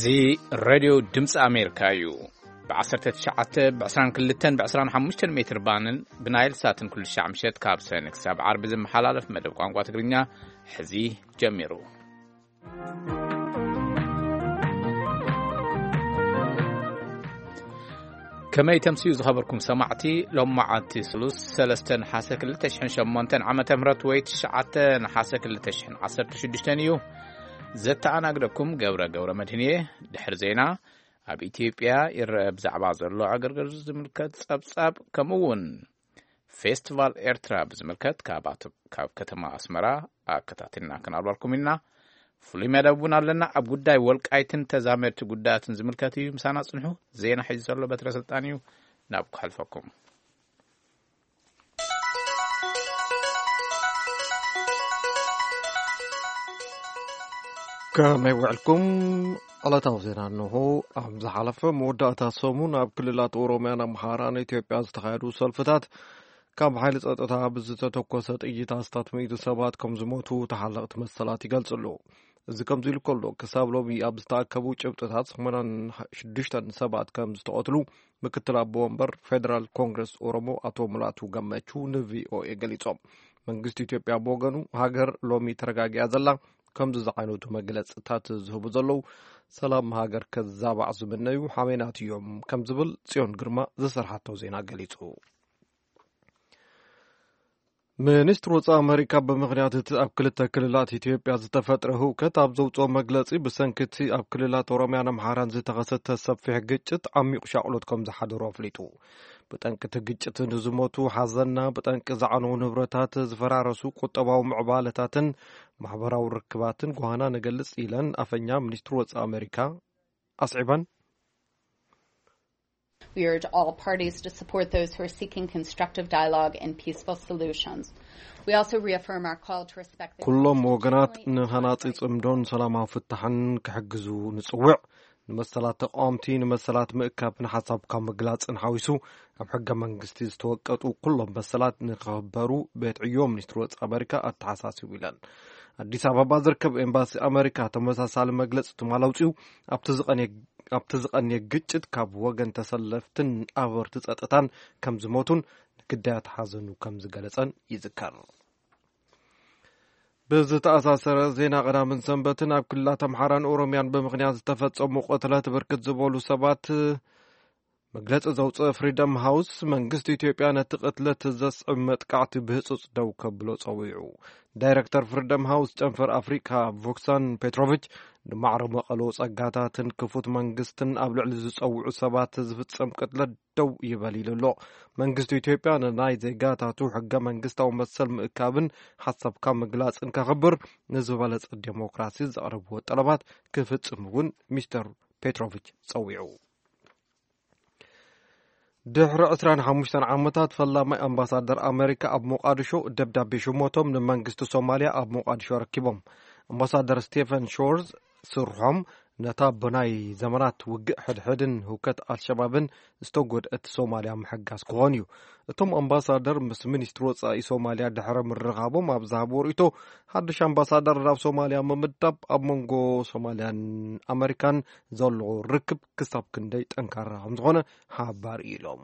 እዚ ሬድዮ ድምፂ ኣሜሪካ እዩ። ብ19፣ ብ22፣ ብ25 ሜትር ባንን ብናይል ሳትን ኩሉ ሻዕ ምሸት ካብ ሰነ ክሳብ ዓርቢ ዝመሓላለፍ መደብ ቋንቋ ትግርኛ ሕዚ ጀሚሩ። ከመይ ተምስዩ ዝኸበርኩም ሰማዕቲ? ሎም መዓልቲ ስሉስ ሰለስተ ነሓሰ ክልተ ሽሕን ሸሞንተን ዓመተ ምህረት ወይ ትሽዓተ ነሓሰ ክልተ ሽሕን ዓሰርተ ሽዱሽተን እዩ። ዘተኣናግደኩም ገብረ ገብረ መድህን እየ። ድሕሪ ዜና ኣብ ኢትዮጵያ ይረአ ብዛዕባ ዘሎ ዕግርግር ዝምልከት ጸብጻብ ከምኡ እውን ፌስቲቫል ኤርትራ ብዝምልከት ካብ ኣቶ-፣ ካብ ከተማ ኣስመራ ኣከታቲልና ክናብረልኩም ኢና። ፍሉይ መደብ እውን ኣለና። ኣብ ጉዳይ ወልቃይትን ተዛመድቲ ጉዳያትን ዝምልከት እዩ። ምሳና ጽንሑ። ዜና ሒዙ ዘሎ በትረ ስልጣን እዩ። ናብ ክሕልፈኩም። ከመይ ውዕልኩም? ዕለታዊ ዜና እንሆ። ኣብ ዝሓለፈ መወዳእታ ሰሙን ኣብ ክልላት ኦሮምያን ኣምሓራን ኢትዮጵያ ዝተኻየዱ ሰልፍታት ካብ ሓይሊ ጸጥታ ብዝተተኮሰ ጥይት ኣስታት ሚእቲ ሰባት ከም ዝሞቱ ተሓለቕቲ መሰላት ይገልጹ ኣለዉ። እዚ ከምዚ ኢሉ ከሎ፣ ክሳብ ሎሚ ኣብ ዝተኣከቡ ጭብጥታት ሰማንያን ሽዱሽተን ሰባት ከም ዝተቐትሉ ምክትል ኣቦ ወንበር ፌደራል ኮንግረስ ኦሮሞ ኣቶ ሙላቱ ገመቹ ንቪኦኤ ገሊጾም። መንግስቲ ኢትዮጵያ ብወገኑ፣ ሃገር ሎሚ ተረጋጊኣ ዘላ፣ ከምዚ ዝዓይነቱ መግለጽታት ዝህቡ ዘለዉ ሰላም ሃገር ከዛባዕ ዝምነዩ ሓሜናት እዮም ከም ዝብል ጽዮን ግርማ ዝሰርሓቶ ዜና ገሊጹ። ሚኒስትሪ ወጻኢ ኣመሪካ ብምኽንያት እቲ ኣብ ክልተ ክልላት ኢትዮጵያ ዝተፈጥረ ህውከት ኣብ ዘውጽኦ መግለጺ፣ ብሰንኪ እቲ ኣብ ክልላት ኦሮምያን ኣምሓራን ዝተኸሰተ ሰፊሕ ግጭት ዓሚቑ ሻቕሎት ከም ዝሓደሮ ኣፍሊጡ። ብጠንቂ እቲ ግጭት ንዝሞቱ ሓዘንና፣ ብጠንቂ ዝዓነዉ ንብረታት፣ ዝፈራረሱ ቁጠባዊ ምዕባለታትን ማሕበራዊ ርክባትን ጓህና ንገልጽ ኢለን ኣፈኛ ሚኒስትሪ ወጻኢ ኣመሪካ ኣስዒበን። We urge all parties to support those who are seeking constructive dialogue and peaceful solutions. We also reaffirm our call to respect the ኩሎም ወገናት ንሃናጺ ጽምዶን ሰላማዊ ፍታሕን ክሕግዙ ንጽውዕ። ንመሰላት ተቃወምቲ፣ ንመሰላት ምእካብን ሓሳብካ ምግላጽን ሓዊሱ፣ ኣብ ሕገ መንግስቲ ዝተወቀጡ ኩሎም መሰላት ንክኽበሩ ቤት ዕዮ ሚኒስትሪ ወጻኢ ኣመሪካ ኣተሓሳሲቡ ኢለን። ኣዲስ ኣበባ ዝርከብ ኤምባሲ ኣመሪካ ተመሳሳሊ መግለጺ ትማል ኣውጺኡ፣ ኣብቲ ዝቐንየ፣ ኣብቲ ዝቐንየ ግጭት ካብ ወገን ተሰለፍትን ኣኽበርቲ ጸጥታን ከም ዝሞቱን ንግዳያት ሓዘኑ ከም ዝገለጸን ይዝከር። ብዝተኣሳሰረ ዜና፣ ቀዳምን ሰንበትን ኣብ ክልላት ኣምሓራን ኦሮምያን ብምኽንያት ዝተፈጸሙ ቅትለት ብርክት ዝበሉ ሰባት መግለጺ ዘውጽአ ፍሪደም ሃውስ፣ መንግስቲ ኢትዮጵያ ነቲ ቅትለት ዘስዕብ መጥቃዕቲ ብህጹጽ ደው ከብሎ ጸዊዑ። ዳይረክተር ፍሪደም ሃውስ ጨንፈር ኣፍሪካ ቮክሳን ፔትሮቪች፣ ንማዕረ መቐሎ ጸጋታትን ክፉት መንግስትን ኣብ ልዕሊ ዝጸውዑ ሰባት ዝፍጸም ቅትለት ደው ይበል ኢሉ ኣሎ። መንግስቲ ኢትዮጵያ ንናይ ዜጋታቱ ሕገ መንግስታዊ መሰል ምእካብን ሓሳብካ ምግላጽን ከኽብር ንዝበለጸ ዴሞክራሲ ዘቕረብዎ ጠለባት ክፍጽም እውን ሚስተር ፔትሮቪች ጸዊዑ። ድሕሪ ዕስራን ሓሙሽተን ዓመታት፣ ፈላማይ ኣምባሳደር ኣመሪካ ኣብ ሞቃዲሾ ደብዳቤ ሽሞቶም ንመንግስቲ ሶማልያ ኣብ ሞቃዲሾ ኣረኪቦም። ኣምባሳደር ስቴፈን ሾርዝ ስርሖም ነታ ብናይ ዘመናት ውግእ ሕድሕድን ህውከት ኣልሸባብን ዝተጎድአት ሶማልያ ምሕጋዝ ክኾን እዩ። እቶም ኣምባሳደር ምስ ሚኒስትሪ ወጻኢ ሶማልያ ድሕሪ ምርኻቦም ኣብ ዝሃብዎ ርእይቶ፣ ሓድሽ ኣምባሳደር ናብ ሶማልያ ምምዳብ ኣብ መንጎ ሶማልያን ኣመሪካን ዘሎ ርክብ ክሳብ ክንደይ ጠንካራ ከም ዝኾነ ሓባር ኢሎም።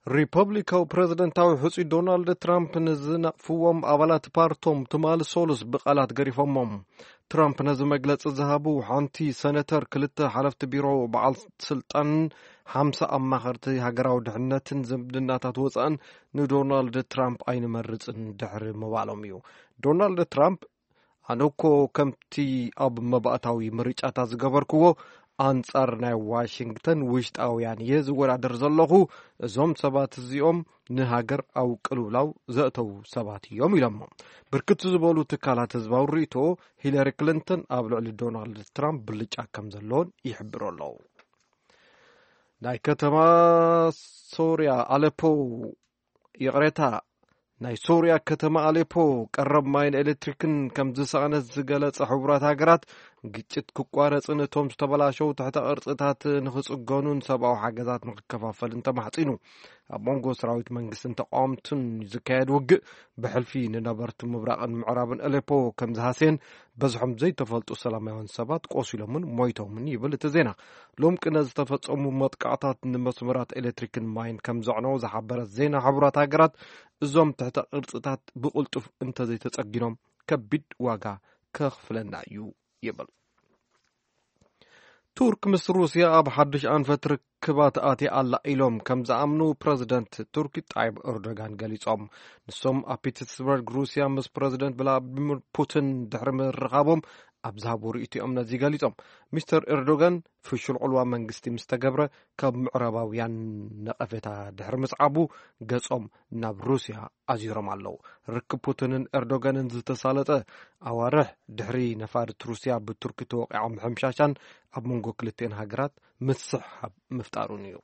ሪፐብሊካዊ ፕረዚደንታዊ ሕጹይ ዶናልድ ትራምፕ ንዝነቕፍዎም ኣባላት ፓርቶም ትማሊ ሶሉስ ብቓላት ገሪፎሞም። ትራምፕ ነዚ መግለጺ ዝሃቡ፣ ሓንቲ ሰነተር፣ ክልተ ሓለፍቲ ቢሮ በዓል ስልጣን፣ ሓምሳ ኣማኸርቲ ሃገራዊ ድሕነትን ዝምድናታት ወጻእን ንዶናልድ ትራምፕ ኣይንመርጽን ድሕሪ ምባሎም እዩ። ዶናልድ ትራምፕ፣ ኣነ እኮ ከምቲ ኣብ መባእታዊ ምርጫታት ዝገበርክዎ፣ ኣንጻር ናይ ዋሽንግተን ውሽጣውያን እየ ዝወዳደር ዘለኹ። እዞም ሰባት እዚኦም ንሃገር ኣብ ቅልውላው ዘእተዉ ሰባት እዮም ኢሎሞ። ብርክት ዝበሉ ትካላት ህዝባዊ ርእይቶ፣ ሂለሪ ክሊንተን ኣብ ልዕሊ ዶናልድ ትራምፕ ብልጫ ከም ዘለዎን ይሕብሩ ኣለዉ። ናይ ከተማ ሶርያ ኣሌፖ፣ ይቕሬታ፣ ናይ ሶርያ ከተማ ኣሌፖ ቀረብ ማይን ኤሌክትሪክን ከም ዝሰኣነት ዝገለጸ ሕቡራት ሃገራት፣ ግጭት ክቋረጽን እቶም ዝተበላሸው ትሕተ ቅርጽታት ንኽጽገኑን ሰብኣዊ ሓገዛት ንኽከፋፈልን ተማሕጺኑ። ኣብ መንጎ ሰራዊት መንግስትን ተቃወምትን ዝካየድ ውግእ ብሕልፊ ንነበርቲ ምብራቕን ምዕራብን ኣሌፖ ከም ዝሃስየን በዝሖም ዘይተፈልጡ ሰላማውያን ሰባት ቆሲሎምን ሞይቶምን ይብል እቲ ዜና። ሎም ቅነ ዝተፈጸሙ መጥቃዕታት ንመስመራት ኤሌክትሪክን ማይን ከም ዘዕነው ዝሓበረ ዜና ሕቡራት ሃገራት፣ እዞም ትሕተ ቅርጽታት ብቕልጡፍ እንተዘይተጸጊኖም ከቢድ ዋጋ ከኽፍለና እዩ ይብል። ቱርክ ምስ ሩስያ ኣብ ሓድሽ ኣንፈት ርክባት ኣትያ ኣላ ኢሎም ከም ዝኣምኑ ፕረዚደንት ቱርክ ጣይብ ኤርዶጋን ገሊጾም። ንሶም ኣብ ፒተርስበርግ ሩስያ ምስ ፕረዚደንት ቭላድሚር ፑቲን ድሕሪ ምርኻቦም ኣብ ዝሃቦ ርእይቶኦም ነዚ ገሊጾም። ሚስተር ኤርዶጋን ፍሹል ዕልዋ መንግስቲ ምስ ተገብረ ካብ ምዕራባውያን ነቐፌታ ድሕሪ ምስዓቡ ገጾም ናብ ሩስያ ኣዚሮም ኣለዉ። ርክብ ፑቲንን ኤርዶጋንን ዝተሳለጠ ኣዋርሕ ድሕሪ ነፋሪት ሩስያ ብቱርኪ ተወቂዖም ምሕምሻሻን ኣብ መንጎ ክልቲኤን ሃገራት ምስሕሓብ ምፍጣሩን እዩ።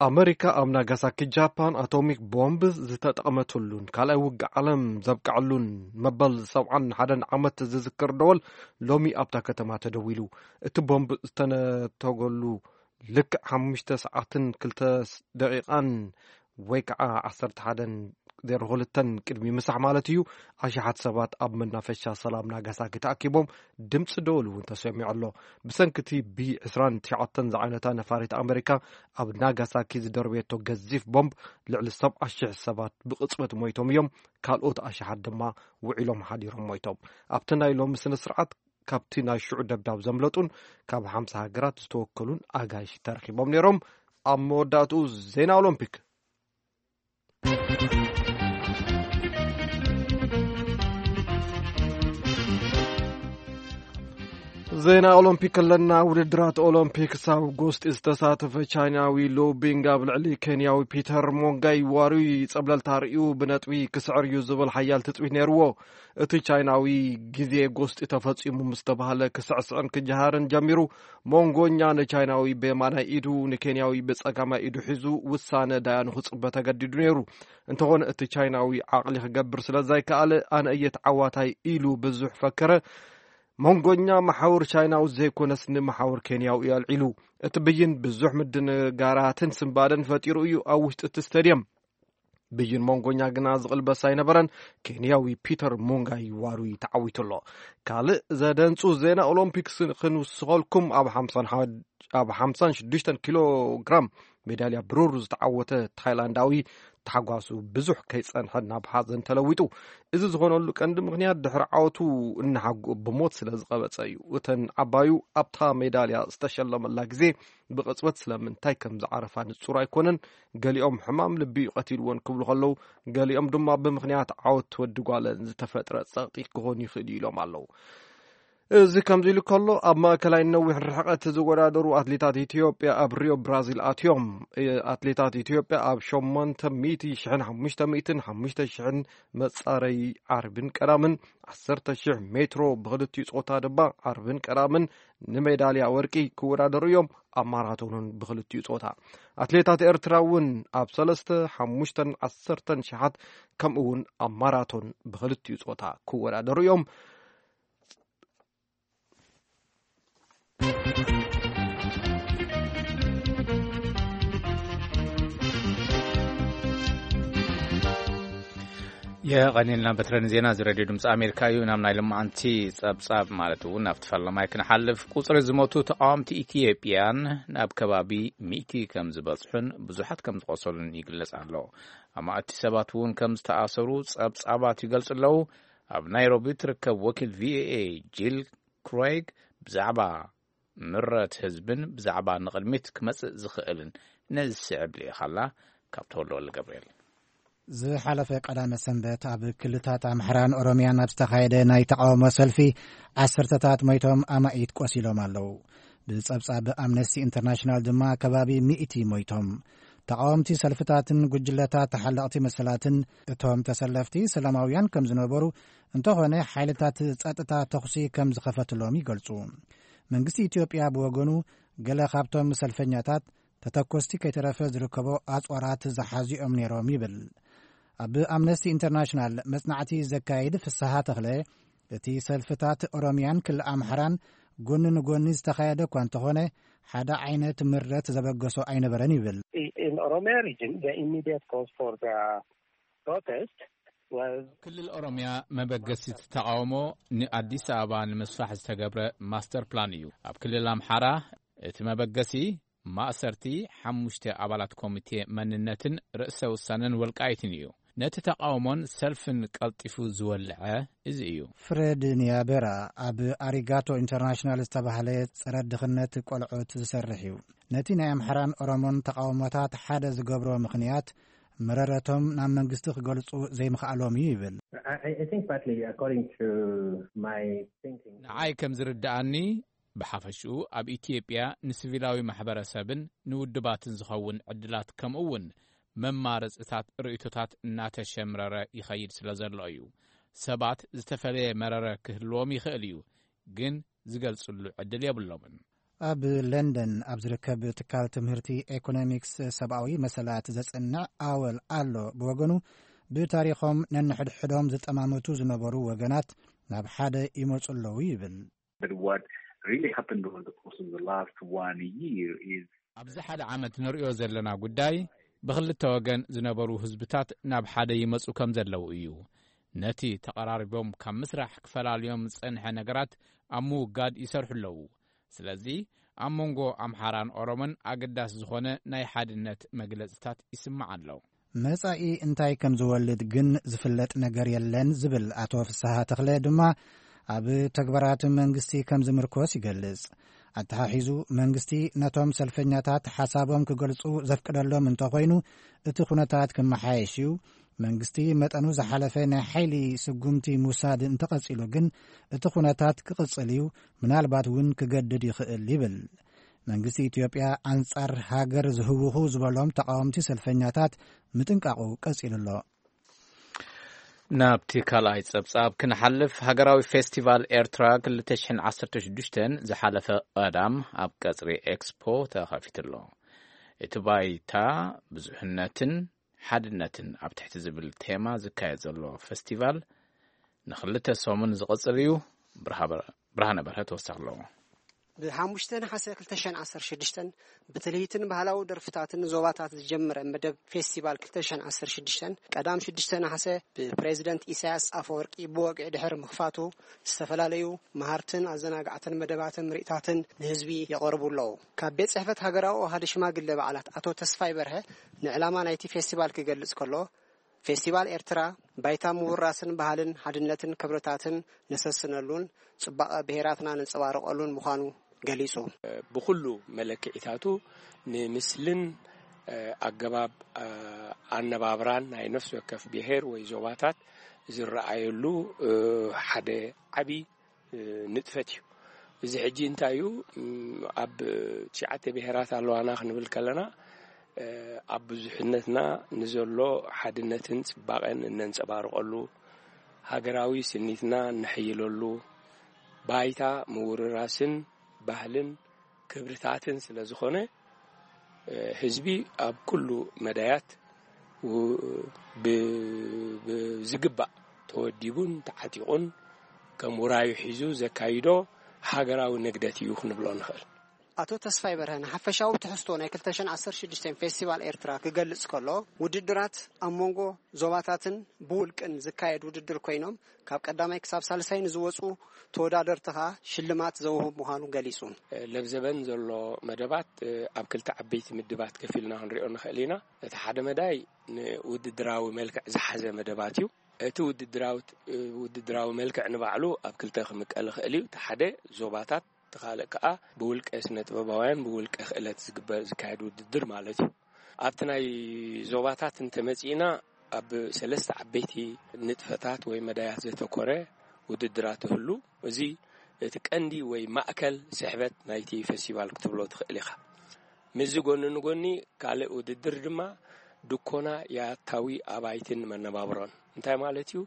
ኣመሪካ ኣብ ናጋሳኪ ጃፓን ኣቶሚክ ቦምብ ዝተጠቐመትሉን ካልኣይ ውግእ ዓለም ዘብቅዐሉን መበል ሰብዓን ሓደን ዓመት ዝዝክር ደወል ሎሚ ኣብታ ከተማ ተደዊሉ። እቲ ቦምብ ዝተነተገሉ ልክዕ ሓሙሽተ ሰዓትን ክልተ ደቂቓን ወይ ከዓ ዓሰርተ ሓደን ዜሮ ክልተን ቅድሚ ምሳሕ ማለት እዩ፣ ኣሽሓት ሰባት ኣብ መናፈሻ ሰላም ናጋሳኪ ተኣኪቦም ድምፂ ደወል እውን ተሰሚዑ ኣሎ። ብሰንኪ እቲ ቢ ዕስራን ትሽዓተን ዝዓይነታ ነፋሪት ኣመሪካ ኣብ ናጋሳኪ ዝደርበየቶ ገዚፍ ቦምብ ልዕሊ ሰብዓ ሽሕ ሰባት ብቕፅበት ሞይቶም እዮም፣ ካልኦት ኣሽሓት ድማ ውዒሎም ሓዲሮም ሞይቶም። ኣብቲ ናይ ሎሚ ስነ ስርዓት ካብቲ ናይ ሽዑ ደብዳብ ዘምለጡን ካብ ሓምሳ ሃገራት ዝተወከሉን ኣጋይሽ ተረኺቦም ነይሮም። ኣብ መወዳእትኡ ዜና ኦሎምፒክ። ዜና ኦሎምፒክ ኣለና። ውድድራት ኦሎምፒክስ ኣብ ጎስጢ ዝተሳተፈ ቻይናዊ ሉ ቢንግ ኣብ ልዕሊ ኬንያዊ ፒተር ሞንጋይ ዋሩይ ጸብለልታ ርእዩ ብነጥቢ ክስዕር እዩ ዝብል ሓያል ትጽቢት ነይርዎ። እቲ ቻይናዊ ግዜ ጎስጢ ተፈጺሙ ምስ ተባህለ ክስዕስዕን ክጀሃርን ጀሚሩ። ሞንጎኛ ንቻይናዊ ብየማናይ ኢዱ ንኬንያዊ ብጸጋማይ ኢዱ ሒዙ ውሳነ ዳያኑ ክጽበ ተገዲዱ ነይሩ። እንተኾነ እቲ ቻይናዊ ዓቕሊ ክገብር ስለ ዘይከኣለ ኣነ እየ ተዓዋታይ ኢሉ ብዙሕ ፈከረ። መንጎኛ መሓውር ቻይናዊ ዘይኮነስ ንመሓውር ኬንያዊ እዩ ኣልዒሉ። እቲ ብይን ብዙሕ ምድንጋራትን ስንባደን ፈጢሩ እዩ ኣብ ውሽጢ እቲ ስቴድየም። ብይን መንጎኛ ግና ዝቕልበስ ኣይነበረን። ኬንያዊ ፒተር ሞንጋይ ዋሩይ ተዓዊቱ ኣሎ። ካልእ ዘደንጹ ዜና ኦሎምፒክስ ክንውስኸልኩም፣ ኣብ ሓምሳን ሓድ-፣ ኣብ ሓምሳን ሽዱሽተን ኪሎ ግራም ሜዳልያ ብሩር ዝተዓወተ ታይላንዳዊ ታሕጓሱ ብዙሕ ከይጸንሐ ናብ ሓዘን ተለዊጡ። እዚ ዝኾነሉ ቀንዲ ምኽንያት ድሕሪ ዓወቱ እናሓጉ ብሞት ስለ ዝቐበጸ እዩ። እተን ዓባዩ ኣብታ ሜዳልያ ዝተሸለመላ ግዜ ብቕጽበት ስለምንታይ ከም ዝዓረፋ ንጹር ኣይኮነን። ገሊኦም ሕማም ልቢ እዩ ቀቲልወን ክብሉ ከለዉ፣ ገሊኦም ድማ ብምኽንያት ዓወት ወዲ ጓለን ዝተፈጥረ ጸቕጢ ክኾን ይኽእል እዩ ኢሎም ኣለዉ። እዚ ከምዚ ኢሉ ከሎ፣ ኣብ ማእከላይ ነዊሕ ርሕቀት ዝወዳደሩ ኣትሌታት ኢትዮጵያ ኣብ ሪዮ ብራዚል ኣትዮም። ኣትሌታት ኢትዮጵያ ኣብ ሸሞንተ ሚእቲ ሽሕን ሓሙሽተ ሚእትን ሓሙሽተ ሽሕን መጻረይ ዓርብን ቀዳምን ዓሰርተ ሽሕ ሜትሮ ብኽልቲኡ ጾታ ድማ ዓርብን ቀዳምን ንሜዳልያ ወርቂ ክወዳደሩ እዮም። ኣብ ማራቶንን ብኽልቲኡ ጾታ ኣትሌታት ኤርትራ እውን ኣብ ሰለስተ፣ ሓሙሽተን ዓሰርተን ሽሓት ከምኡ እውን ኣብ ማራቶን ብኽልቲኡ ጾታ ክወዳደሩ እዮም። የቐኒልና በትረን ዜና እዚ ሬድዮ ድምፂ ኣሜሪካ እዩ። ናብ ናይ ልማዓንቲ ጸብጻብ ማለት እውን ናብቲ ፈለማይ ክንሓልፍ፣ ቁጽሪ ዝሞቱ ተቃወምቲ ኢትዮጵያን ናብ ከባቢ ሚእቲ ከም ዝበጽሑን ብዙሓት ከም ዝቆሰሉን ይግለጽ ኣሎ። ኣማእቲ ሰባት እውን ከም ዝተኣሰሩ ጸብጻባት ይገልጹ ኣለዉ። ኣብ ናይሮቢ ትርከብ ወኪል ቪኦኤ ጂል ክሬግ ብዛዕባ ምረት ህዝብን ብዛዕባ ንቕድሚት ክመጽእ ዝኽእልን ነዚ ስዕብ ልኢኻላ። ካብ ተወልደ ወልደ ገብርኤል። ዝሓለፈ ቀዳመ ሰንበት ኣብ ክልታት ኣምሓራን ኦሮምያን ኣብ ዝተኻየደ ናይ ተቃውሞ ሰልፊ ዓሰርተታት ሞይቶም ኣማኢት ቆሲሎም ኣለዉ። ብጸብጻብ ኣምነስቲ ኢንተርናሽናል ድማ ከባቢ ሚእቲ ሞይቶም። ተቃወምቲ ሰልፍታትን ጉጅለታት ተሓለቕቲ መሰላትን እቶም ተሰለፍቲ ሰላማውያን ከም ዝነበሩ፣ እንተኾነ ሓይልታት ጸጥታ ተኹሲ ከም ዝኸፈትሎም ይገልጹ። መንግስቲ ኢትዮጵያ ብወገኑ ገለ ካብቶም ሰልፈኛታት ተተኮስቲ ከይተረፈ ዝርከቦ ኣጽዋራት ዝሓዙ እዮም ነይሮም ይብል። ኣብ ኣምነስቲ ኢንተርናሽናል መጽናዕቲ ዘካይድ ፍስሃ ተኽለ፣ እቲ ሰልፍታት ኦሮሚያን ክልል ኣምሓራን ጎኒ ንጎኒ ዝተኻየደ እኳ እንተኾነ፣ ሓደ ዓይነት ምረት ዘበገሶ ኣይነበረን ይብል። In Oromia region, the immediate cause for the protest was ክልል ኦሮሚያ መበገሲቲ ተቃውሞ ንኣዲስ ኣበባ ንምስፋሕ ዝተገብረ ማስተር ፕላን እዩ። ኣብ ክልል ኣምሓራ እቲ መበገሲ ማእሰርቲ ሓሙሽተ ኣባላት ኮሚቴ መንነትን ርእሰ ውሳነን ወልቃይትን እዩ። ነቲ ተቃውሞን ሰልፍን ቀልጢፉ ዝወልዐ እዚ እዩ። ፍሬድ ኒያቤራ ኣብ ኣሪጋቶ ኢንተርናሽናል ዝተባህለ ጸረ ድኽነት ቆልዑት ዝሰርሕ እዩ። ነቲ ናይ ኣምሓራን ኦሮሞን ተቃውሞታት ሓደ ዝገብሮ ምኽንያት፣ መረረቶም ናብ መንግስቲ ክገልጹ ዘይምኽኣሎም እዩ ይብል። I, I think partly, according to my thinking. ንዓይ ከም ዝርድኣኒ፣ ብሓፈሽኡ ኣብ ኢትዮጵያ ንሲቪላዊ ማሕበረሰብን ንውድባትን ዝኸውን ዕድላት፣ ከምኡ እውን መማረፅታት ርእይቶታት እናተሸምረረ ይኸይድ ስለ ዘሎ እዩ። ሰባት ዝተፈለየ መረረ ክህልዎም ይኽእል እዩ፣ ግን ዝገልፅሉ ዕድል የብሎምን። ኣብ ለንደን ኣብ ዝርከብ ትካል ትምህርቲ ኤኮኖሚክስ ሰብኣዊ መሰላት ዘጽንዕ ኣወል ኣሎ ብወገኑ፣ ብታሪኾም ነንሕድሕዶም ዝጠማመቱ ዝነበሩ ወገናት ናብ ሓደ ይመጹ ኣለዉ ይብል። But what really happened over the course of the last one year is ኣብዚ ሓደ ዓመት ንርእዮ ዘለና ጉዳይ፣ ብኽልተ ወገን ዝነበሩ ህዝብታት ናብ ሓደ ይመጹ ከም ዘለዉ እዩ። ነቲ ተቐራሪቦም ካብ ምስራሕ ክፈላልዮም ዝጸንሐ ነገራት ኣብ ምውጋድ ይሰርሑ ኣለዉ። ስለዚ ኣብ መንጎ ኣምሓራን ኦሮሞን ኣገዳሲ ዝኾነ ናይ ሓድነት መግለጽታት ይስማዕ ኣሎ። መጻኢ እንታይ ከም ዝወልድ ግን ዝፍለጥ ነገር የለን ዝብል ኣቶ ፍስሃ ተኽለ ድማ፣ ኣብ ተግባራት መንግስቲ ከም ዝምርኮስ ይገልጽ። ኣተሓሒዙ፣ መንግስቲ ነቶም ሰልፈኛታት ሓሳቦም ክገልጹ ዘፍቅደሎም እንተኾይኑ፣ እቲ ኩነታት ክመሓየሽ እዩ። መንግስቲ መጠኑ ዝሓለፈ ናይ ሓይሊ ስጉምቲ ምውሳድ እንተቐጺሉ ግን፣ እቲ ኩነታት ክቕጽል እዩ፣ ምናልባት እውን ክገድድ ይኽእል ይብል። መንግስቲ ኢትዮጵያ ኣንጻር ሃገር ዝህውኹ ዝበሎም ተቃወምቲ ሰልፈኛታት ምጥንቃቑ ቀጺሉ ኣሎ። ናብቲ ካልኣይ ጸብጻብ ክንሓልፍ፣ ሃገራዊ ፌስቲቫል ኤርትራ ክልተ ሽሕን ዓሰርተ ሽዱሽተን ዝሓለፈ ቀዳም ኣብ ቀጽሪ ኤክስፖ ተኸፊቱ ኣሎ። እቲ ባይታ ብዙሕነትን ሓድነትን ኣብ ትሕቲ ዝብል ቴማ ዝካየድ ዘሎ ፌስቲቫል ንኽልተ ሰሙን ዝቕጽል እዩ። ብርሃ-፣ ብርሃነ በርሀ ተወሳኺ ኣለዎ። ብሓሙሽተ ነሓሰ ክልተ ሽሕን ዓሰርተ ሽዱሽተን ብትልሂትን ባህላዊ ደርፍታትን ዞባታት ዝጀመረ መደብ ፌስቲቫል ክልተ ሽሕን ዓሰርተ ሽዱሽተን ቀዳም ሽዱሽተ ነሓሰ ብፕሬዚደንት ኢሳያስ ኣፈወርቂ ብወግዒ ድሕሪ ምኽፋቱ፣ ዝተፈላለዩ መሃርትን ኣዘናጋዕትን መደባትን ምርኢታትን ንህዝቢ የቐርቡ ኣለዉ። ካብ ቤት ጽሕፈት ሃገራዊ ኣሃዱ ሽማግለ በዓላት ኣቶ ተስፋይ በርሀ ንዕላማ ናይቲ ፌስቲቫል ክገልጽ ከሎ፣ ፌስቲቫል ኤርትራ ባይታ ምውራስን ባህልን ሓድነትን ክብርታትን ነሰስነሉን ጽባቐ ብሄራትና ነንጸባርቐሉን ምዃኑ ገሊጹ። ብኹሉ መለክዒታቱ ንምስልን ኣገባብ ኣነባብራን ናይ ነፍሲ ወከፍ ብሄር ወይ ዞባታት ዝረኣየሉ ሓደ ዓቢ ንጥፈት እዩ። እዚ ሕጂ እንታይ እዩ? ኣብ ትሽዓተ ብሄራት ኣለዋና ክንብል ከለና፣ ኣብ ብዙሕነትና ንዘሎ ሓድነትን ጽባቐን እነንጸባርቐሉ፣ ሃገራዊ ስኒትና እነሐይለሉ፣ ባይታ ምውርራስን ባህልን ክብርታትን ስለ ዝኾነ፣ ህዝቢ ኣብ ኩሉ መዳያት ብ-፣ ብዝግባእ ተወዲቡን ተዓጢቑን ከም ውራዩ ሒዙ ዘካይዶ ሃገራዊ ንግደት እዩ ክንብሎ ንኽእል። ኣቶ ተስፋይ በርሀ ንሓፈሻዊ ትሕዝቶ ናይ ክልተ ሽሕን ዓሰርተ ሽዱሽተ ፌስቲቫል ኤርትራ ክገልጽ ከሎ፣ ውድድራት ኣብ መንጎ ዞባታትን ብውልቅን ዝካየድ ውድድር ኮይኖም፣ ካብ ቀዳማይ ክሳብ ሳልሳይ ንዝወጹ ተወዳደርቲ ከኣ ሽልማት ዘውህብ ምዃኑ ገሊጹ። ለብዘበን ዘሎ መደባት ኣብ ክልተ ዓበይቲ ምድባት ከፊልና ክንሪኦ ንኽእል ኢና። እቲ ሓደ መዳይ ንውድድራዊ መልክዕ ዝሓዘ መደባት እዩ። እቲ ውድድራዊ ውድድራዊ መልክዕ ንባዕሉ ኣብ ክልተ ክምቀል ይኽእል እዩ። እቲ ሓደ ዞባታት፣ እቲ ካልእ ከኣ ብውልቀ ስነ ጥበባውያን ብውልቀ ክእለት ዝግበር ዝካየድ ውድድር ማለት እዩ። ኣብቲ ናይ ዞባታት እንተመጺእና፣ ኣብ ሰለስተ ዓበይቲ ንጥፈታት ወይ መዳያት ዘተኮረ ውድድራት ይህሉ። እዚ እቲ ቀንዲ ወይ ማእከል ስሕበት ናይቲ ፌስቲቫል ክትብሎ ትኽእል ኢኻ። ምስዚ ጎኒ ንጎኒ ካልእ ውድድር ድማ ድኮና ያታዊ ኣባይትን መነባብሮን። እንታይ ማለት እዩ?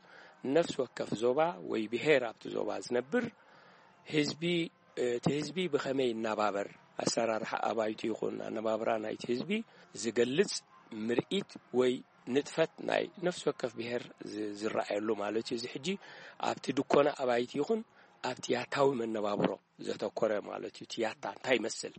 ነፍሲ ወከፍ ዞባ ወይ ብሄር ኣብቲ ዞባ ዝነብር ህዝቢ፣ እቲ ህዝቢ ብኸመይ ይናባበር፣ ኣሰራርሓ ኣባይቱ ይኹን ኣነባብራ ናይቲ ህዝቢ ዝገልጽ ምርኢት ወይ ንጥፈት ናይ ነፍሲ ወከፍ ብሔር ዝ- ዝረኣየሉ ማለት እዩ። እዚ ሕጂ ኣብቲ ድኮነ ኣባይቲ ይኹን ኣብቲ ያታዊ መነባብሮ ዘተኮረ ማለት እዩ። እቲ ያታ እንታይ ይመስል?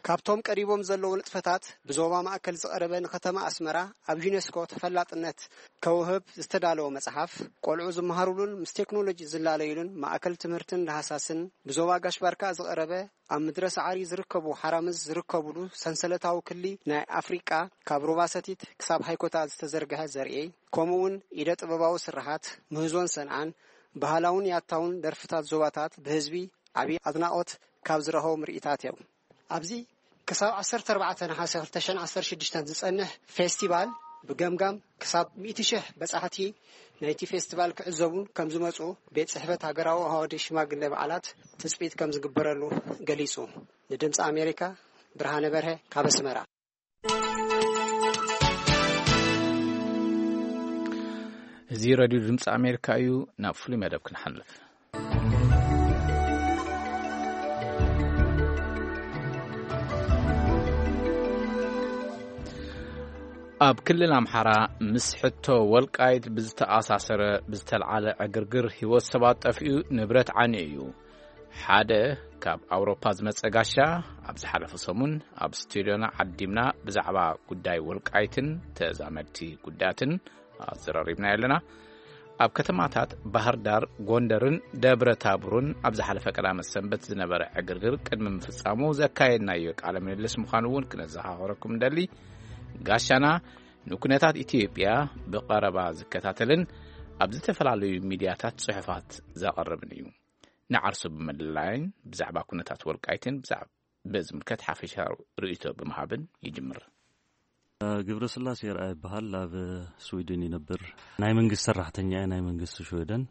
ካብቶም ቀሪቦም ዘለዉ ንጥፈታት ብዞባ ማእከል ዝቐረበ ንከተማ ኣስመራ ኣብ ዩኔስኮ ተፈላጥነት ከውህብ ዝተዳለወ መጽሓፍ፣ ቆልዑ ዝመሃሩሉን ምስ ቴክኖሎጂ ዝላለዩሉን ማእከል ትምህርትን ዳህሳስን፣ ብዞባ ጋሽ ባርካ ዝቐረበ ኣብ ምድረ ሰዓሪ ዝርከቡ ሓራምዝ ዝርከቡሉ ሰንሰለታዊ ክሊ ናይ ኣፍሪቃ ካብ ሩባ ሰቲት ክሳብ ሃይኮታ ዝተዘርግሐ ዘርኢ፣ ከምኡውን ኢደ ጥበባዊ ስርሓት ምህዞን ሰንዓን ባህላውን ያታውን ደርፍታት ዞባታት ብህዝቢ ዓቢ ኣድናቖት ካብ ዝረኸቡ ምርኢታት እዮም። ኣብዚ ክሳብ ዓሰርተ ኣርባዕተ ነሓሰ ክልተ ሽሕን ዓሰርተ ሽዱሽተን ዝጸንሕ ፌስቲቫል ብገምጋም ክሳብ ሚእቲ ሽሕ በጻሕቲ ናይቲ ፌስቲቫል ክዕዘቡን ከም ዝመጹ ቤት ጽሕፈት ሃገራዊ ኣዋዲ ሽማግለ በዓላት ትጽቢት ከም ዝግበረሉ ገሊጹ። ንድምጺ ኣሜሪካ ብርሃነ በርሀ ካብ ኣስመራ። እዚ ሬድዮ ድምፂ ኣሜሪካ እዩ። ናብ ፍሉይ መደብ ክንሓልፍ። ኣብ ክልል ኣምሓራ ምስ ሕቶ ወልቃይት ብዝተኣሳሰረ ብዝተልዓለ ዕግርግር ህይወት ሰባት ጠፊኡ፣ ንብረት ዓንዩ እዩ። ሓደ ካብ ኣውሮፓ ዝመጸ ጋሻ፣ ኣብ ዝሓለፈ ሰሙን ኣብ ስቱድዮና ዓዲምና ብዛዕባ ጉዳይ ወልቃይትን ተዛመድቲ ጉዳያትን ኣዘራሪብና ኣለና። ኣብ ከተማታት ባህር ዳር፣ ጎንደርን ደብረ ታቦርን ኣብ ዝሓለፈ ቀዳመ ሰንበት ዝነበረ ዕግርግር ቅድሚ ምፍጻሙ ዘካየድናዮ ቃለ ምልልስ ምዃኑ እውን ክነዘኻኽረኩም እንደሊ። ጋሻና ንኩነታት ኢትዮጵያ ብቐረባ ዝከታተልን ኣብ ዝተፈላለዩ ሚድያታት ጽሑፋት ዘቐርብን እዩ። ንዓርሱ ብምልላይን ብዛዕባ ኩነታት ወልቃይትን ብዛዕባ በዝምልከት ሓፈሻዊ ርእይቶ ብምሃብን ይጅምር። ግብረስላሴ ይርኣ ይበሃል። ኣብ ስዊድን ይነብር። ናይ መንግስቲ ሰራሕተኛ እየ፣ ናይ መንግስቲ ሽወደን።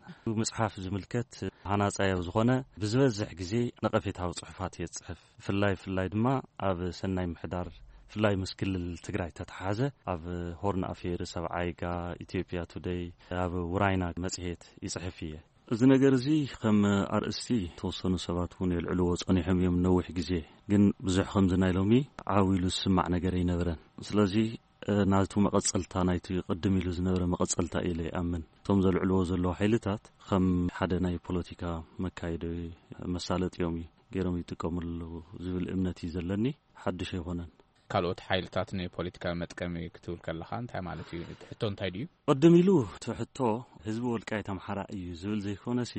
መጽሓፍ ዝምልከት ሃናጻያዊ ዝኾነ ብዝበዝሕ ግዜ ነቐፌታዊ ጽሑፋት እየ ዝጽሕፍ። ፍላይ ፍላይ ድማ ኣብ ሰናይ ምሕዳር፣ ፍላይ ምስ ክልል ትግራይ ተተሓዘ ኣብ ሆርን ኣፌርስ፣ ኣብ ዓይጋ፣ ኢትዮጵያ ቱደይ፣ ኣብ ውራይና መጽሔት ይጽሕፍ እየ። እዚ ነገር እዚ ከም ኣርእስቲ ተወሰኑ ሰባት እውን የልዕልዎ ጸኒሖም እዮም ነዊሕ ግዜ። ግን ብዙሕ ከምዚ ናይ ሎሚ ዓው ኢሉ ዝስማዕ ነገር ኣይነበረን። ስለዚ ናቱ መቐጸልታ ናይቲ ቅድም ኢሉ ዝነበረ መቐጸልታ ኢለ ይኣምን። እቶም ዘልዕልዎ ዘለዉ ሓይልታት ከም ሓደ ናይ ፖለቲካ መካየዲ መሳለጥዮም እዩ ገይሮም ይጥቀምሉ ዝብል እምነት እዩ ዘለኒ። ሓድሽ ኣይኮነን። ካልኦት ሓይልታት ንፖለቲካዊ መጥቀሚ ክትብል ከለኻ እንታይ ማለት እዩ? እቲ ሕቶ እንታይ ድዩ? ቅድም ኢሉ እቲ ሕቶ ህዝቢ ወልቃይት ኣምሓራ እዩ ዝብል ዘይኮነሲ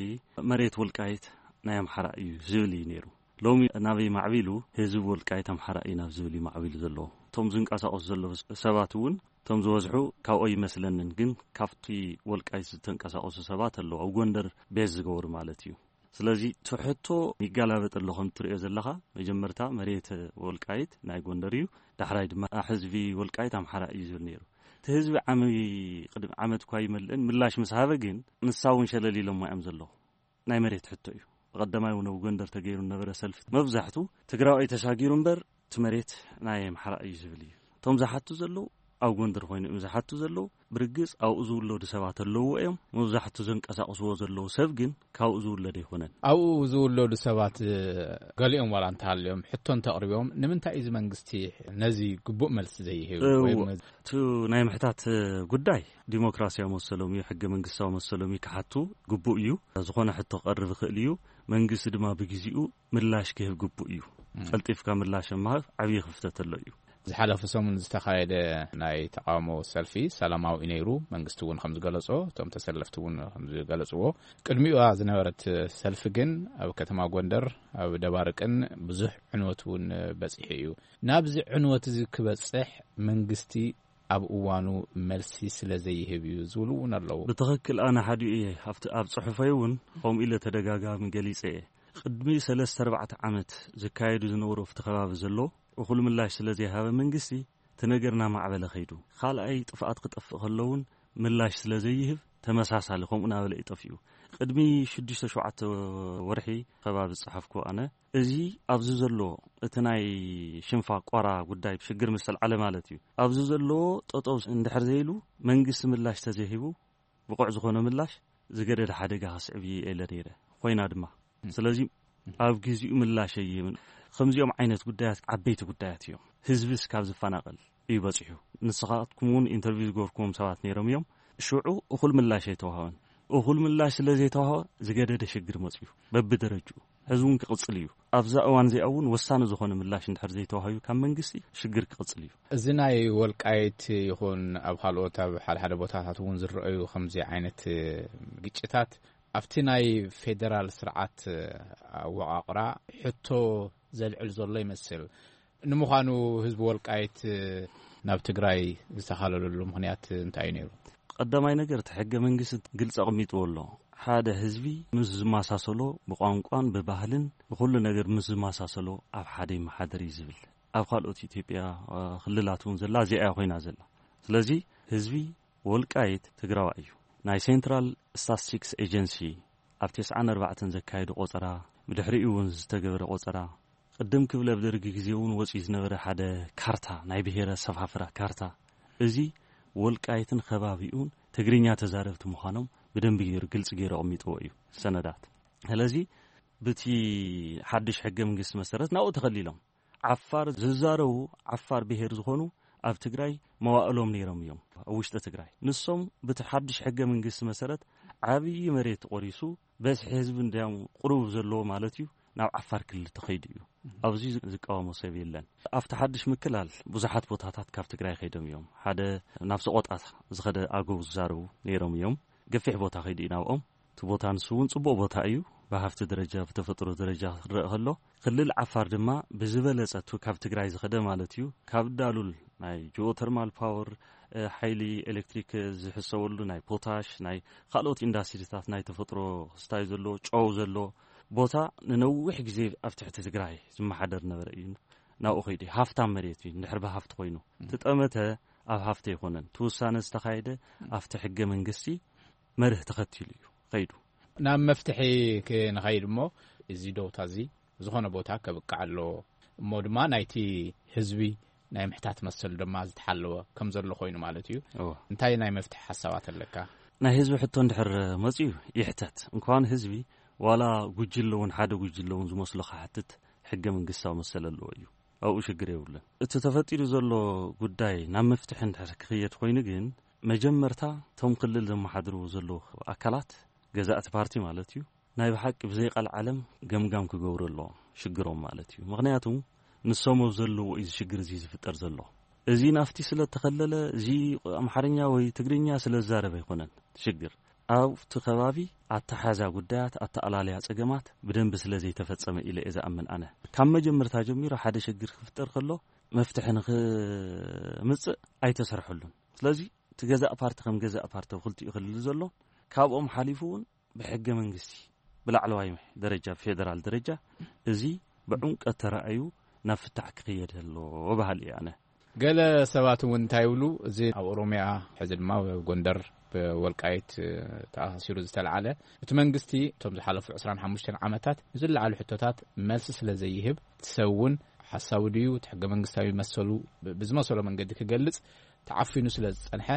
መሬት ወልቃይት ናይ ኣምሓራ እዩ ዝብል እዩ ነይሩ። ሎሚ ናበይ ማዕቢሉ? ህዝቢ ወልቃይት ኣምሓራ እዩ ናብ ዝብል እዩ ማዕቢሉ ዘለዎ። እቶም ዝንቀሳቐሱ ዘለዉ ሰባት እውን እቶም ዝበዝሑ ካብኦ ይመስለንን፣ ግን ካብቲ ወልቃይት ዝተንቀሳቐሱ ሰባት ኣለዉ፣ ኣብ ጎንደር ቤዝ ዝገበሩ ማለት እዩ። ስለዚ እቲ ሕቶ ይጋላበጥ ኣሎ ከም እትርእዮ ዘለኻ። መጀመርታ መሬት ወልቃይት ናይ ጎንደር እዩ፣ ዳሕራይ ድማ ሕዝቢ ወልቃይት ኣምሓራ እዩ ዝብል ነይሩ። እቲ ህዝቢ ዓሚ ቅድሚ ዓመት እኳ ይመልእን ምላሽ ምስ ሃበ ግን ንሳ እውን ሸለል ኢሎማ እዮም ዘለዉ። ናይ መሬት ሕቶ እዩ። ብቐዳማይ እውን ኣብ ጎንደር ተገይሩ ነበረ ሰልፊ። መብዛሕቱ ትግራዋይ ተሳጊሩ እምበር እቲ መሬት ናይ ኣምሓራ እዩ ዝብል እዩ። እቶም ዝሓቱ ዘለዉ ኣብ ጎንደር ኮይኑ እዮም ዝሓቱ ዘለዉ። ብርግጽ ኣብኡ ዝውለዱ ሰባት ኣለዉ እዮም። መብዛሕቱ ዘንቀሳቕስዎ ዘለዉ ሰብ ግን ካብኡ ዝውለድ ኣይኮነን። ኣብኡ ዝውለዱ ሰባት፣ እ፣ ገሊኦም ዋላ እንተሃልዮም ሕቶ እንተቕሪቦም ንምንታይ እዩ እዚ መንግስቲ ነዚ ግቡእ መልሲ ዘይህብ? እው፣ ወይም እቲ ናይ ምሕታት ጉዳይ ዲሞክራሲያዊ መሰሎም እዩ፣ ሕገ መንግስታዊ መሰሎም እዩ ክሓቱ ግቡእ እዩ። ዝኾነ ሕቶ ክቐርብ ይኽእል እዩ። መንግስቲ ድማ ብግዜኡ ምላሽ ክህብ ግቡእ እዩ። ቀልጢፍካ ምላሽ ምሃብ ዓብዪ ክፍተት ኣሎ እዩ። ዝሓለፈ ሰሙን ዝተኻየደ ናይ ተቃውሞ ሰልፊ ሰላማዊ እዩ ነይሩ። መንግስቲ እውን ከም ዝገለጾ፣ እቶም ተሰለፍቲ እውን ከም ዝገለጽዎ፣ ቅድሚኡ ዝነበረት ሰልፊ ግን ኣብ ከተማ ጎንደር፣ ኣብ ደባርቅን ብዙሕ ዕንወት እውን በጺሑ እዩ። ናብዚ ዕንወት እዚ ክበጽሕ መንግስቲ ኣብ እዋኑ መልሲ ስለ ዘይህብ እዩ ዝብሉ እውን ኣለዉ። ብትኽክል ኣነ ሓዲኡ እየ። ኣብቲ፣ ኣብ ጽሑፈይ እውን ከምኡ ኢለ ተደጋጋሚ ገሊጸ እየ። ቅድሚ ሰለስተ ኣርባዕተ ዓመት ዝካየዱ ዝነበሩ ኣብቲ ከባቢ ዘሎ እኹል ምላሽ ስለ ዘይሃበ መንግስቲ፣ እቲ ነገር እናማዕበለ ከይዱ። ካልኣይ ጥፍኣት ክጠፍእ ከሎ እውን ምላሽ ስለ ዘይህብ ተመሳሳሊ ከምኡ እናበለ እዩ ጠፊኡ። ቅድሚ ሽዱሽተ ሸውዓተ ወርሒ ከባቢ ዝጸሓፍኩ ኣነ፣ እዚ ኣብዚ ዘሎ እቲ ናይ ሽንፋ ቆራ ጉዳይ ሽግር ምስ ተልዓለ ማለት እዩ። ኣብዚ ዘሎ ጠጠው እንድሕር ዘይሉ መንግስቲ ምላሽ ተዘይሂቡ ብቑዕ ዝኾነ ምላሽ ዝገደደ ሓደጋ ከስዕብ እየ ኢለ ነይረ። ኮይና ድማ። ስለዚ ኣብ ግዜኡ ምላሽ ኣየምን። ከምዚኦም ዓይነት ጉዳያት ዓበይቲ ጉዳያት እዮም። ህዝብስ ካብ ዝፈናቐል፣ እዩ በፂሑ። ንስኻትኩም እውን ኢንተርቪው ዝገበርኩዎም ሰባት ነይሮም እዮም። ሽዑ እኹል ምላሽ ኣይተዋህበን። እኹል ምላሽ ስለ ዘይተዋህበ ዝገደደ ሽግር መፅዩ በብደረጅኡ። ሕዚ እውን ክቕፅል እዩ። ኣብዛ እዋን እዚኣ እውን ወሳኒ ዝኾነ ምላሽ እንድሕር ዘይተዋህዩ ካብ መንግስቲ ሽግር ክቕፅል እዩ። እዚ ናይ ወልቃይት ይኹን ኣብ ካልኦት ኣብ ሓደ ሓደ ቦታታት እውን ዝረኣዩ ከምዚ ዓይነት ግጭታት ኣብቲ ናይ ፌደራል ስርዓት ኣወቓቕራ ሕቶ ዘልዕል ዘሎ ይመስል። ንምዃኑ ህዝቢ ወልቃይት ናብ ትግራይ ዝተኻለለሉ ምኽንያት እንታይ እዩ ነይሩ? ቀዳማይ ነገር እቲ ሕገ መንግስቲ ግልፂ ኣቐሚጥዎ ኣሎ። ሓደ ህዝቢ ምስ ዝመሳሰሎ ብቋንቋን ብባህልን ብኹሉ ነገር ምስ ዝመሳሰሎ ኣብ ሓደ ይመሓደር እዩ ዝብል። ኣብ ካልኦት ኢትዮጵያ ክልላት እውን ዘላ እዚኣ ኮይና ዘላ። ስለዚ ህዝቢ ወልቃይት ትግራዋይ እዩ። ናይ ሴንትራል ስታትስቲክስ ኤጀንሲ ኣብ ተስዓን ኣርባዕተን ዘካየዱ ቆፀራ፣ ብድሕሪኡ እውን ዝተገበረ ቆፀራ፣ ቅድም ክብል ኣብ ደርጊ ግዜ እውን ወፂኡ ዝነበረ ሓደ ካርታ፣ ናይ ብሄረ ሰፋፍራ ካርታ፣ እዚ ወልቃይትን ከባቢኡን ትግርኛ ተዛረብቲ ምዃኖም ብደንቢ ገይሩ ግልፂ ገይሩ ኣቐሚጥዎ እዩ ሰነዳት። ስለዚ ብቲ ሓድሽ ሕገ መንግስቲ መሰረት ናብኡ ተኸሊሎም ዓፋር ዝዛረቡ ዓፋር ብሄር ዝኾኑ ኣብ ትግራይ መዋእሎም ነይሮም እዮም። ኣብ ውሽጢ ትግራይ ንሶም ብቲ ሓድሽ ሕገ መንግስቲ መሰረት ዓብዪ መሬት ቆሪሱ በዝሒ ህዝቢ እንዲያም ቁሩብ ዘለዎ ማለት እዩ ናብ ዓፋር ክልል ተኸይዱ እዩ። ኣብዚ ዝቃወሞ ሰብ የለን። ኣብቲ ሓድሽ ምክላል ብዙሓት ቦታታት ካብ ትግራይ ከይዶም እዮም። ሓደ ናብ ሰቆጣ ዝኸደ ኣገው ዝዛረቡ ነይሮም እዮም። ገፊሕ ቦታ ከይዱ እዩ ናብኦም። እቲ ቦታ ንሱ እውን ጽቡቕ ቦታ እዩ። ብሃፍቲ ደረጃ ብተፈጥሮ ደረጃ ክረአ ከሎ ክልል ዓፋር ድማ ብዝበለጸ እቲ ካብ ትግራይ ዝኸደ ማለት እዩ። ካብ ዳሉል ናይ ጂኦተርማል ፓወር ሓይሊ ኤሌክትሪክ ዝሕሰበሉ ናይ ፖታሽ ናይ ካልኦት ኢንዳስትሪታት ናይ ተፈጥሮ ክስታይ ዘሎ ጨው ዘሎ ቦታ ንነዊሕ ግዜ ኣብ ትሕቲ ትግራይ ዝመሓደር ነበረ እዩ። ናብኡ ከይዱ ሃፍታም መሬት እዩ። እንድሕር ብሃፍቲ ኮይኑ ትጠመተ ኣብ ሃፍቲ ኣይኮነን። እቲ ውሳነ ዝተኻየደ ኣብቲ ሕገ መንግስቲ መርህ ተኸቲሉ እዩ ኸይዱ። ናብ መፍትሒ ክንኸይድ እሞ እዚ ደውታ እዚ ዝኾነ ቦታ ከብቅዕ ኣለዎ እሞ ድማ ናይቲ ህዝቢ ናይ ምሕታት መሰል ድማ ዝተሓለወ ከም ዘሎ ኮይኑ ማለት እዩ። እንታይ ናይ መፍትሒ ሓሳባት ኣለካ? ናይ ህዝቢ ሕቶ እንድሕር መፅዩ ይሕተት እንኳን ህዝቢ ዋላ ጉጅለ እውን ሓደ ጉጅለ እውን ዝመስሎ ክሓትት ሕገ መንግስታዊ መሰል ኣለዎ እዩ። ኣብኡ ሽግር የብሉን። እቲ ተፈጢሩ ዘሎ ጉዳይ ናብ መፍትሒ እንድሕር ክኽየድ ኮይኑ ግን መጀመርታ እቶም ክልል ዘመሓድሩ ዘለዉ ኣካላት ገዛእቲ ፓርቲ ማለት እዩ ናይ ብሓቂ ብዘይ ቃል ዓለም ገምጋም ክገብሩ ኣለዎም ሽግሮም ማለት እዩ። ምኽንያቱ ንሶም ኣብ ዘለዎ እዩ እዚ ሽግር እዚ ዝፍጠር ዘሎ። እዚ ናፍቲ ስለ እተኸለለ እዚ ኣምሓርኛ ወይ ትግርኛ ስለ ዝዛረብ ኣይኮነን ሽግር። ኣብቲ ከባቢ ኣተሓዛ ጉዳያት ኣተኣላለያ ጸገማት ብደንቢ ስለ ዘይተፈጸመ ኢለ እየ ዝኣምን ኣነ። ካብ መጀመርታ ጀሚሩ ሓደ ሽግር ክፍጠር ከሎ መፍትሒ ንኽምጽእ ኣይተሰርሐሉን። ስለዚ እቲ ገዛእ ፓርቲ ከም ገዛእ ፓርቲ ኣብ ክልቲኡ ክልል ዘሎ ካብኦም ሓሊፉ እውን ብሕገ መንግስቲ ብላዕለዋይ ደረጃ ብፌደራል ደረጃ እዚ ብዕምቀት ተራእዩ ናብ ፍታሕ ክኽየድ ኣለዎ በሃሊ እየ ኣነ። ገለ ሰባት እውን እንታይ ይብሉ፣ እዚ ኣብ ኦሮሚያ ሕዚ ድማ ኣብ ጎንደር ብወልቃይት ተኣሳሲሩ ዝተልዓለ እቲ መንግስቲ እቶም ዝሓለፉ ዕስራን ሓሙሽተን ዓመታት ንዝለዓሉ ሕቶታት መልሲ ስለ ዘይህብ እቲ ሰብ እውን ሓሳቡ ድዩ እቲ ሕገ መንግስታዊ መሰሉ ብ- ብዝመሰሎ መንገዲ ክገልጽ ተዓፊኑ ስለ ዝጸንሐ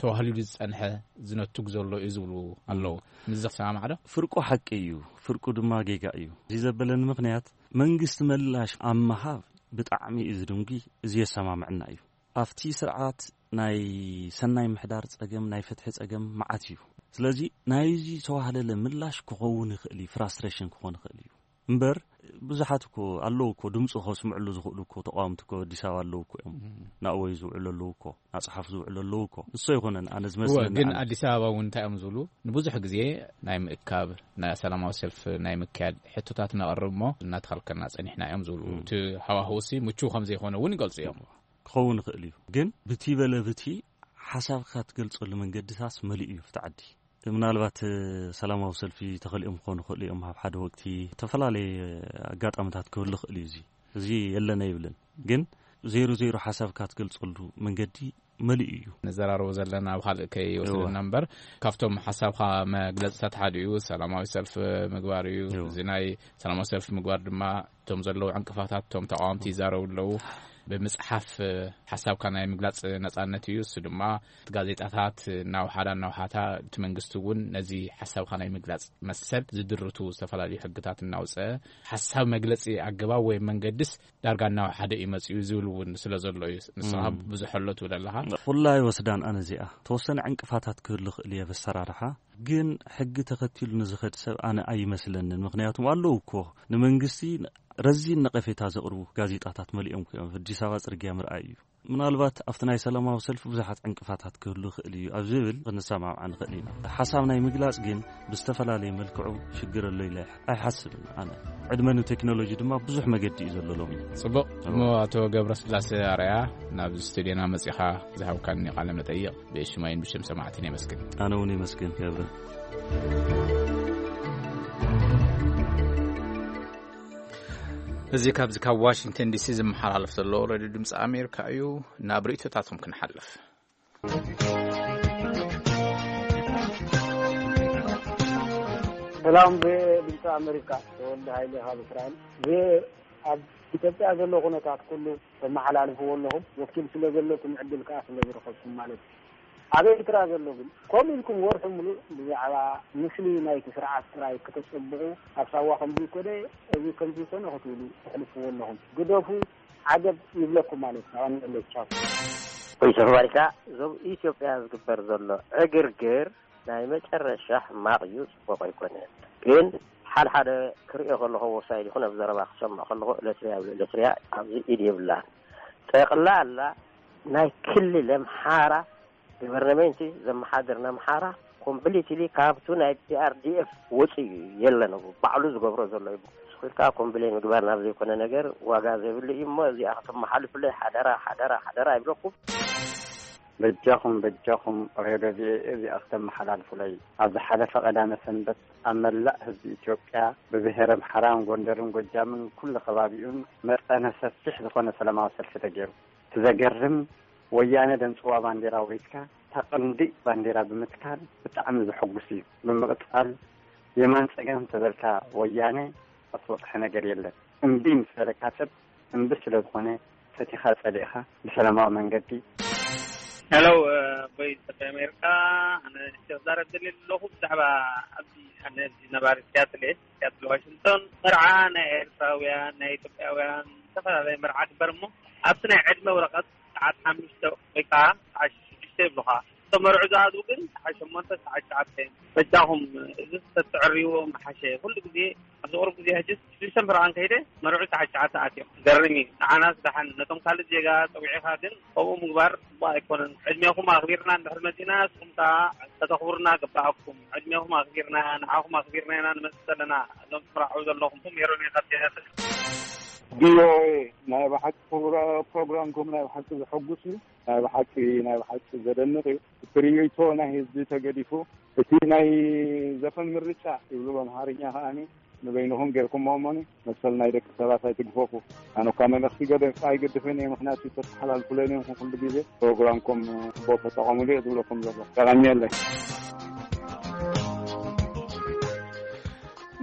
ተዋህሊሉ ዝጸንሐ ዝነቱግ ዘሎ እዩ ዝብሉ ኣለዉ። ምስዚ ክሰማማዕ ዶ? ፍርቁ ሓቂ እዩ፣ ፍርቁ ድማ ጌጋ እዩ። እዚ ዘበለኒ ምኽንያት መንግስቲ ምላሽ ኣብ ምሃብ ብጣዕሚ እዩ ዝድንጉይ፣ እዚ የሰማምዕና እዩ። ኣብቲ ስርዓት ናይ ሰናይ ምሕዳር ጸገም ናይ ፍትሒ ጸገም መዓት እዩ። ስለዚ ናይዚ ዝተዋህለለ ምላሽ ክኸውን ይኽእል እዩ፣ ፍራስትሬሽን ክኾን ይኽእል እዩ። እምበር ብዙሓት እኮ ኣለዉ እኮ ድምፂ ከስምዕሉ ዝኽእሉ እኮ ተቃወምቲ እኮ ኣዲስ ኣበባ ኣለዉ እኮ እዮም። ናእወይ ዝውዕሉ ኣለዉ እኮ ናፅሓፍ ዝውዕሉ ኣለዉ እኮ ንሶ ኣይኮነን ኣነ እወ ዝመስለኒ ግን ኣነ። ኣዲስ ኣበባ እውን እንታይ እዮም ዝብሉ ንብዙሕ ግዜ ናይ ምእካብ ናይ ሰላማዊ ሰልፍ ናይ ምክያድ ሕቶታት ነቕርብ እሞ እናተኸልከልና ፀኒሕና እዮም ዝብሉ እቲ ሃዋህውሲ ምቹው ከም ዘይኮነ እውን ይገልፁ እዮም። ክኸውን ይኽእል እዩ ግን ብቲ በለ ብቲ ሓሳብካ ትገልፀሉ መንገድታት መሊኡ እዩ ፍቲ ዓዲ። ምናልባት ሰላማዊ ሰልፊ ተኸሊኦም ክኾኑ ይኽእሉ እዮም ኣብ ሓደ ወቅቲ ዝተፈላለየ ኣጋጣሚታት ክህሉ ይኽእል እዩ። እዚ እዚ የለን ኣይብልን ግን ዜሮ ዜሮ ሓሳብካ ትገልፀሉ መንገዲ መሊኡ እዩ። ንዘራረቦ ዘለና ኣብ ካልእ ከይወስደና እምበር ካብቶም ሓሳብካ መግለፅታት ሓደ እዩ ሰላማዊ ሰልፍ ምግባር እዩ። እዚ ናይ ሰላማዊ ሰልፍ ምግባር ድማ እቶም ዘለዉ ዕንቅፋታት እቶም ተቃወምቲ ይዛረቡ ኣለዉ። ብምጽሓፍ ሓሳብካ ናይ ምግላጽ ነጻነት እዩ። እሱ ድማ እቲ ጋዜጣታት እናውሓዳ እናውሓታ፣ እቲ መንግስቲ እውን ነዚ ሓሳብካ ናይ ምግላጽ መሰል ዝድርቱ ዝተፈላለዩ ሕግታት እናውፀ፣ ሓሳብ መግለጺ ኣገባብ ወይ መንገድስ ዳርጋ እናውሓደ እዩ መጺኡ ዝብል እውን ስለ ዘሎ እዩ። ንስኻ ብዙሕ ኣሎ ትብል ኣለኻ። ኩላ ይወስዳን ኣነ እዚኣ ተወሰነ ዕንቅፋታት ክህሉ ክእል እየ በሰራርሓ፣ ግን ሕጊ ተኸቲሉ ንዝኸድ ሰብ ኣነ ኣይመስለንን። ምክንያቱም ኣለዉ እኮ ንመንግስቲ ረዚን ነቐፌታ ዘቕርቡ ጋዜጣታት መሊኦም እኮ እዮም። ኣዲስ ኣበባ ጽርግያ ምርኣይ እዩ። ምናልባት ኣብቲ ናይ ሰላማዊ ሰልፊ ብዙሓት ዕንቅፋታት ክህሉ ይኽእል እዩ ኣብ ዝብል ክንሰማምዓ ንኽእል ኢና። ሓሳብ ናይ ምግላጽ ግን ብዝተፈላለየ መልክዑ ሽግር ኣሎ ኢለ ኣይሓስብን ኣነ። ዕድመ ንቴክኖሎጂ ድማ ብዙሕ መገዲ እዩ ዘሎ ሎሚ። ጽቡቕ። እሞ ኣቶ ገብረስላሴ ኣርኣያ፣ ናብ ስቱድዮና መጺኻ ዝሃብካኒ ቃለ መጠይቕ ብሽማይን ብሽም ሰማዕትን የመስግን። ኣነ እውን የመስግን ገብረ። እዚ ካብዚ ካብ ዋሽንግተን ዲሲ ዝመሓላለፍ ዘሎ ሬድዮ ድምፂ ኣሜሪካ እዩ። ናብ ርእይቶታትኩም ክንሓልፍ። ሰላም፣ ብድምፂ ኣሜሪካ ተወልደ ሃይለ ካብ እስራኤል። ኣብ ኢትዮጵያ ዘሎ ኩነታት ኩሉ ተመሓላልፍዎ ኣለኹም። ወኪል ስለ ዘለኩም ዕድል ከዓ ስለ ዝረኸብኩም ማለት እዩ። ኣብ ኤርትራ ዘሎ ግን ከምኡ ኢልኩም ወርሒ ሙሉእ ብዛዕባ ምስሊ ናይቲ ስርዓት ጥራይ ክተጸብቑ፣ ኣብ ሳዋ ከምዚ ኮነ፣ እዚ ከምዚ ኮነ ክትብሉ ተሕልፍዎ ኣለኹም። ግደፉ፣ ዓገብ ይብለኩም ማለት እዩ። ኣቐንየለይ፣ ቻው። ቮይስ ኦፍ ኣሜሪካ፣ ዞብ ኢትዮጵያ ዝግበር ዘሎ ዕግርግር ናይ መጨረሻ ሕማቕ እዩ፣ ጽቡቕ ኣይኮነን። ግን ሓደ ሓደ ክርእዮ ከለኹ ወሳኝ ይኹን ኣብ ዘረባ ክሰምዕ ከለኹ ኤለትርያ ይብሉ። ኤለትርያ ኣብዚ ኢድ የብላን። ጠቕላላ ናይ ክልል ኣምሓራ ገቨርነመንት ዘመሓድር ንኣምሓራ ኮምፕሊትሊ ካብቱ ናይ ፒኣርዲኤፍ ወፂኡ እዩ፣ የለን፣ ባዕሉ ዝገብሮ ዘሎ እዩ። ስኺልካ ኮምፕሌን ምግባር ናብ ዘይኮነ ነገር ዋጋ ዘይብሉ እዩ። እሞ እዚኣ ከተመሓልፉለይ ሓደራ፣ ሓደራ፣ ሓደራ ይብለኩም። በጃኹም፣ በጃኹም ሬድዮ ቪኦኤ እዚኣ ክተመሓላልፉለይ። ኣብ ዝሓለፈ ቀዳመ ሰንበት ኣብ መላእ ህዝቢ ኢትዮጵያ ብብሄረ ኣምሓራን ጎንደርን ጎጃምን ኩሉ ከባቢኡን መጠነ ሰፊሕ ዝኾነ ሰላማዊ ሰልፊ ተገይሩ። እቲ ዘገርም፣ ወያነ ደንጽዋ ባንዴራ ወሪስካ፣ እታ ቀንዲ ባንዴራ ብምትካል ብጣዕሚ ዘሐጉስ እዩ። ብምቕጻል፣ የማን ጸጋም ተበልካ ወያነ ኣስወጥሐ ነገር የለን። እምቢ ምስ በለካ ሰብ እምቢ ስለ ዝኾነ፣ ፈቲኻ ጸሊእኻ ብሰላማዊ መንገዲ። ሄሎ፣ ቮይስ ኦፍ ኣሜሪካ፣ ኣነ ክዛረብ ደልየ ዘለኹ ብዛዕባ ኣብዚ ኣነ ኣብዚ ነባሪ ሲያትል እየ፣ ሲያትል ዋሽንግቶን። መርዓ ናይ ኤርትራውያን፣ ናይ ኢትዮጵያውያን ዝተፈላለየ መርዓ ግበር እሞ ኣብቲ ናይ ዕድመ ወረቐት ሰዓት ሓሙሽተ ወይ ከዓ ሰዓት ሽዱሽተ ይብሉኻ። እቶም መርዑ ዝኣትዉ ግን ሰዓት ሸሞንተ፣ ሰዓት ትሽዓተ እዮም። በጃኹም እዚ ተትዕርይዎ ምሓሸ። ኩሉ ግዜ ኣብዚ ቁሩብ ግዜ ሕጅስ ሽዱሽተ መርዓ እንከይደ መርዑ ሰዓት ትሽዓተ ኣትዮም። ገርም እዩ። ንዓናስ ደሓን፣ ነቶም ካልእ ዜጋ ጸዊዕኻ ግን ከምኡ ምግባር ጽቡቕ ኣይኮነን። ዕድሜኹም ኣኽቢርና እንድሕር መጺና ንስኹም ከኣ ከተኽብሩና ግባኣኩም። ዕድሜኹም ኣኽቢርና፣ ንዓኹም ኣኽቢርና ኢና ንመጽእ ዘለና። እዞም ትምርዓዉ ዘለኹም ሜሮን እየ ካብ ቴነስን። ቪኦኤ ናይ ብሓቂ ፕሮግራምኩም ናይ ብሓቂ ዘሐጉስ እዩ። ናይ ብሓቂ ናይ ብሓቂ ዘደንቕ እዩ። እቲ ርእይቶ ናይ ህዝቢ ተገዲፉ፣ እቲ ናይ ዘፈን ምርጫ ይብሉ ብኣምሓርኛ ከኣ ንበይንኹም ጌርኩሞ እሞኒ መሰል ናይ ደቂ ሰባት ኣይትግፈፉ። ኣነ እኳ መልእኽቲ ገደ ኣይገድፍን እየ፣ ምኽንያቱ ተተሓላልፉለይ ነይርኩም ኩሉ ግዜ። ፕሮግራምኩም ጽቡቕ ተጠቐሙሉ እየ ዝብለኩም ዘሎ። የቐንየለይ።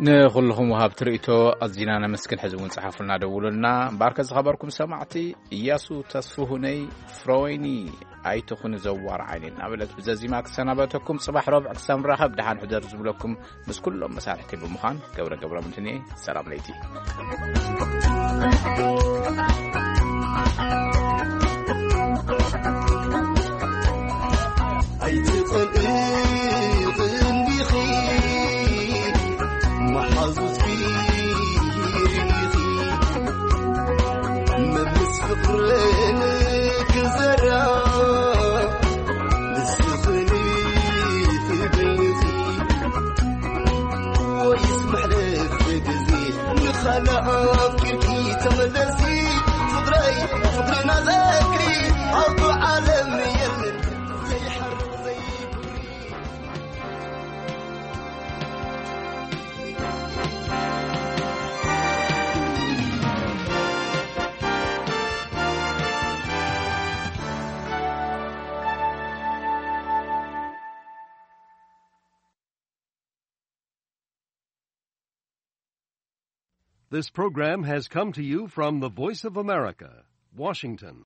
ንኹልኹም ወሃብቲ ርእይቶ ኣዚና ነመስግን። ሕዚ እውን ጸሓፉልና፣ ደውሉልና። እምበኣርከ ዝኸበርኩም ሰማዕቲ፣ እያሱ ተስፍሁነይ ፍሮይኒ ኣይትኹን ዘዋር ዓይኒ እናበለት ብዘዚማ ክሰናበተኩም፣ ጽባሕ ረቡዕ ክሳብ ንራኸብ ደሓን ሕደር ዝብለኩም ምስ ኩሎም መሳርሕቲ ብምዃን ገብረ ገብረ ምንትንየ ሰላም ለይቲ። ኣይትጸልኢ እንዲኺ መሓዙትኪ ርኢኺ መምስ ፍቕርን ክዘራ ንስኽኒ ትብልኺ ወይስ መሕለፍ ግዜ ንኻልእ ኣፍቂርኪ ተመለሲ ፍቕረይ ፍቕርና ዘክሪ ኣብቱ ዓለም የለን ዘይሓርቕ ዘይጉሪ። This program has come to you from the Voice of America, Washington.